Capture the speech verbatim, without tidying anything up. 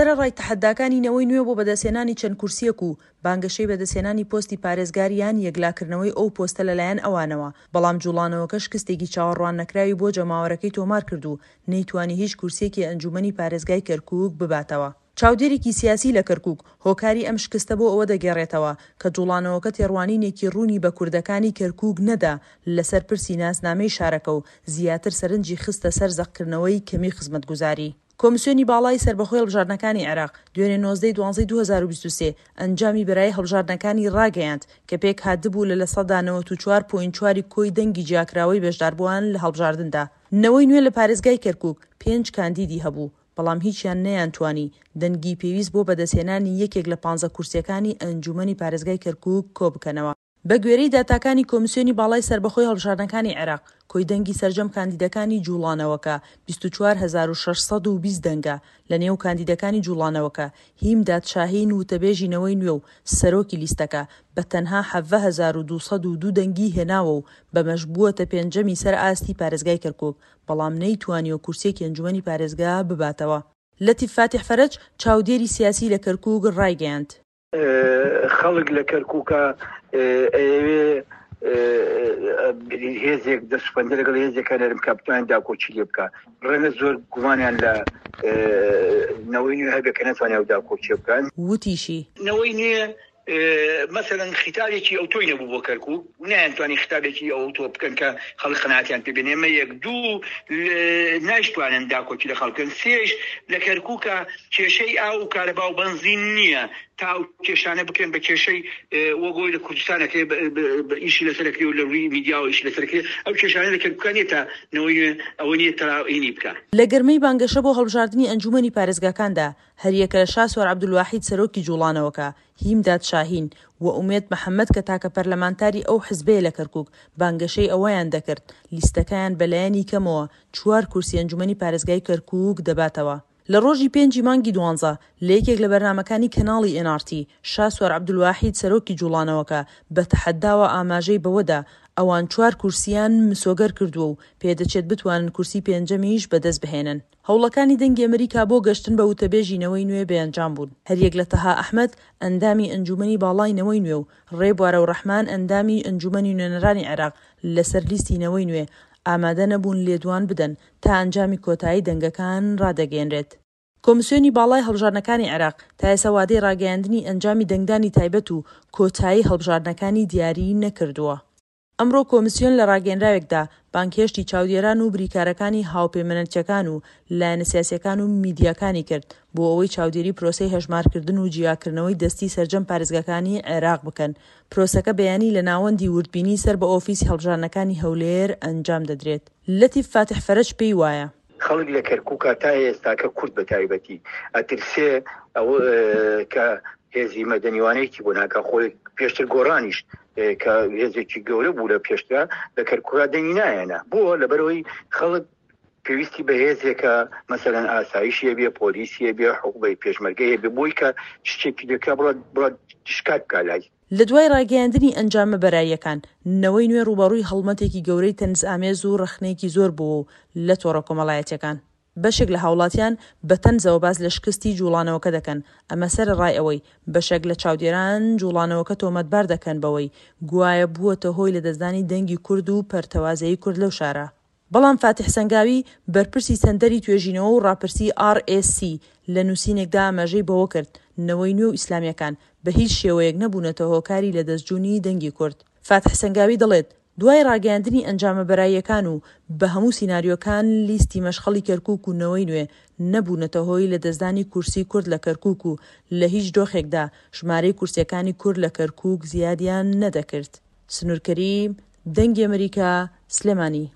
سەرەڕای تەحەداکانی نەوەی نوێ بۆ بەدەستهێنانی چەند کورسییەک و بانگەشەی بەدەستهێنانی پۆستی پارێزگار یان یەکلاکردنەوەی ئەو پۆستە لەلایەن ئەوانەوە، بەڵام جوڵانەوەکە شکستێکی چاوەڕواننەکراوی بۆ جەماوەرەکەی تۆمارکرد و نەیتوانی هیچ کورسییەکی ئەنجوومەنی پارێزگای کەرکووک بباتەوە. چاودێرێکی سیاسی لە کەرکووک هۆکاری ئەم شکستە بۆ ئەوە دەگێڕێتەوە کە جوڵانەوەکە تێڕوانینێکی ڕوونی بە کوردەکانی کەرکووک نەدا لەسەر پرسی ناسنامەی شارەکە و زیاتر سەرنجی خستە سەر زەقکردنەوەی کەمی خزمەتگوزاری. کۆمسیۆنی باڵای سەربەخۆی هەڵبژاردنەکانی عێراق دوێنێ نۆزدە ی دوانزەی دوو هەزار و بیست و سێ ئەنجامی بەرایی هەڵبژاردنەکانی ڕاگەیاند کە پێکهاتبوو لە لە سەدا نەوەت و چوار point چوار ی کۆی دەنگی جیاکراوەی بەشداربووان لە هەڵبژاردندا. نەوەی نوێ لە پارێزگای کەرکوک پێنج کاندیدی هەبوو، بەڵام هیچیان نەیانتوانی دەنگی پێویست بۆ بەدەستهێنانی یەکێک لە پانزە کورسییەکانی ئەنجوومەنی پارێزگای کەرکوک کۆبکەنەوە. بەگوێرەی داتاکانی کۆمیسیۆنی باڵای سەربەخۆی هەڵبژاردنەکانی عێراق، کۆی دەنگی سەرجەم کاندیدەکانی جوڵانەوەکە بیست و چوار هەزار و شەش سەد و بیست دەنگە، لەنێو کاندیدەکانی جوڵانەوەکە هیمداد شاهین وتەبێژی نەوەی نوێ و سەرۆکی لیستەکە بە تەنها حەڤە هەزار و دوو سەد و دوو دەنگی هێناوە و بەمەش بووەتە پێنجەمی سەر ئاستی پارێزگای کەرکوک، بەڵام نەیتوانیوە کورسییەکی ئەنجومەنی پارێزگا بباتەوە. لەتیف فاتیح فەرەج، چاودێری سیاسی لە کەرکوک ڕایگەیاند. خەڵک لە کەرکووکە ئەیەوێ هێزێک دەست پەنجە لەگەڵ هێزێکە نەرم بکا بتوانێت داکۆکی لێ بکا. ڕەنگە زۆر گومانیان لە نەوەی نوێ هەبێ کە نەتوانێت ئەو داکۆکیە بکەن. وتیشی. نەوەی نوێ مەسەلەن خیتابێکی ئەوتۆی نەبوو بۆ کەرکووک و نەیانتوانی خیتابێکی ئەوتۆ بکەن کە خەڵک قەناعەتیان پێ بێنێ. ئەمە یەک. دوو، نایشتوانن داکۆکی لە خەڵک بکەن. سێش، لە کەرکووکە کێشەی ئاو و کارەبا و بەنزین نییە تا ئەو کێشانە بکرێن بە کێشەی وەک ئەوەی لە کوردستان ئەکرێ ئیشی لەسەر ئەکرێ و لە ڕووی میدیاوە ئیشی لەسەر ئەکرێ. ئەو کێشانە لە کەرکووکە نییە تا نەوەی نوێ ئەوە نییە تا هینی بکا. لە گەرمەی بانگەشە بۆ هەڵبژاردنی ئەنجوومەنی پارێزگاکاندا، هەریەکە لە شاسوار عەبدولواحید سەرۆکی جوڵانەوەکە، هیمداد شاهین، و ئومێد محەمەد کە تاکە پەرلەمانتاری ئەو حزبەیە لە کەرکوک، بانگەشەی ئەوەیان دەکرد لیستەکەیان بەلایەنی کەمەوە چوار کورسی ئەنجومەنی پارێزگای کەرکوک دەباتەوە. لە ڕۆژی پێنجی مانگی دوانزە لە یەکێک لە بەرنامەکانی کەناڵی ئێن ئاڕ تی، شاسوار عەبدولواحید سەرۆکی جوڵانەوەکە بە تەحەداوە ئاماژەی بەوەدا ئەوان چوار کورسییان مسۆگەر کردووە و پێدەچێت بتوانن کورسی پێنجەمیش بەدەستبهێنن. هەوڵەکانی دەنگی ئەمریکا بۆ گەشتن بە وتەبێژی نەوەی نوێ بێئەنجام بوون. هەریەک لە تەها ئەحمەد، ئەندامی ئەنجوومەنی باڵای نەوەی نوێ و ڕێبوار ئەورەحمان ئەندامی ئەنجوومەنی نوێنەرانی عێراق لەسەر لیستی نەوەی نوێ، ئامادە نەبوون لێدوان بدەن تا ئەنجامی کۆتایی دەنگەکان ڕادەگەیەنرێت. کۆمسیۆنی باڵای هەڵبژاردنەکانی عێراق تا ئێستا وادەی ڕاگەیاندنی ئەنجامی دەنگدانی تایبەت و کۆتایی هەڵبژاردنەکانی دیاری نەکردووە. ئەمڕۆ کۆمسیۆن لە ڕاگەیەنراوێکدا بانگهێشتی چاودێران و بریکارەکانی هاوپەیمانەتییەکان و لایەنە سیاسییەکان و میدیاکانی کرد بۆ ئەوەی چاودێری پرۆسەی هەژمارکردن و جیاکردنەوەی دەستی سەرجەم پارێزگاکانی عێراق بکەن. پرۆسەکە بەیانی لە ناوەندی وردبینی سەر بە ئۆفیسی هەڵبژاردنەکانی هەولێر ئەنجام دەدرێت. لەتیف فاتیح فەرەج پێی وایە. خەڵک لە کەرکووکا تا ئێستاکە کورد بە تایبەتی ئەترسێ ئەوە کە هێزی مەدەنیوانەیەکی بۆ ناکا، خۆی پێشتر گۆڕانیش کە هێزێکی گەورە بوو لە پێشترا لە کەرکووکا دەنگی نایەنە، بۆ لەبەرەوەی خەڵک پێویستی بە هێزێکە مەسەلەن ئاسایشی هەبێ، پۆلیسی هەبێ، حکومەی پێشمەرگەی هەبێ، بۆی کە شتێکی لێکا بڕات بڕات شکات بکا لای. لە دوای ڕاگەیاندنی ئەنجامە بەراییەکان، نەوەی نوێ ڕووبەڕووی هەڵمەتێکی گەورەی تەنزئامێز و ڕەخنەیەکی زۆر بووە و لە تۆڕە کۆمەڵایەتییەکان بەشێک لە هاوڵاتیان بە تەنزەوە باس لە شکستی جوڵانەوەکە دەکەن، ئەمە سەرەڕای ئەوەی بەشێک لە چاودێران جوڵانەوەکە تۆمەتبار دەکەن بەوەی گوایە بووەتە هۆی لەدەستدانی دەنگی کورد و پەرتەوازەیی کورد لەو شارە. بەڵام فاتیح سەنگاوی، بەرپرسی سەنتەری توێژینەوە و ڕاپرسی ئاڕ ئێس سی لە نووسینێکدا ئاماژەی بەوە کرد، نەوەی نوێ و ئیسلامییەکان بە هیچ شێوەیەک نەبوونەتە هۆکاری لەدەستجوونی دەنگی کورد. فاتیح سەنگاوی دەڵێت، دوای ڕاگەیاندنی ئەنجامە بەراییەکان و بە هەموو سیناریۆکان لیستی مەشخەڵی کەرکوک و نەوەی نوێ نەبوونەتە هۆی لەدەستدانی کورسی کورد لە کەرکوک و لە هیچ دۆخێکدا ژمارەی کورسییەکانی کورد لە کەرکوک زیادیان نەدەکرد. سنوور کەریم، دەنگی ئەمریکا، سلێمانی.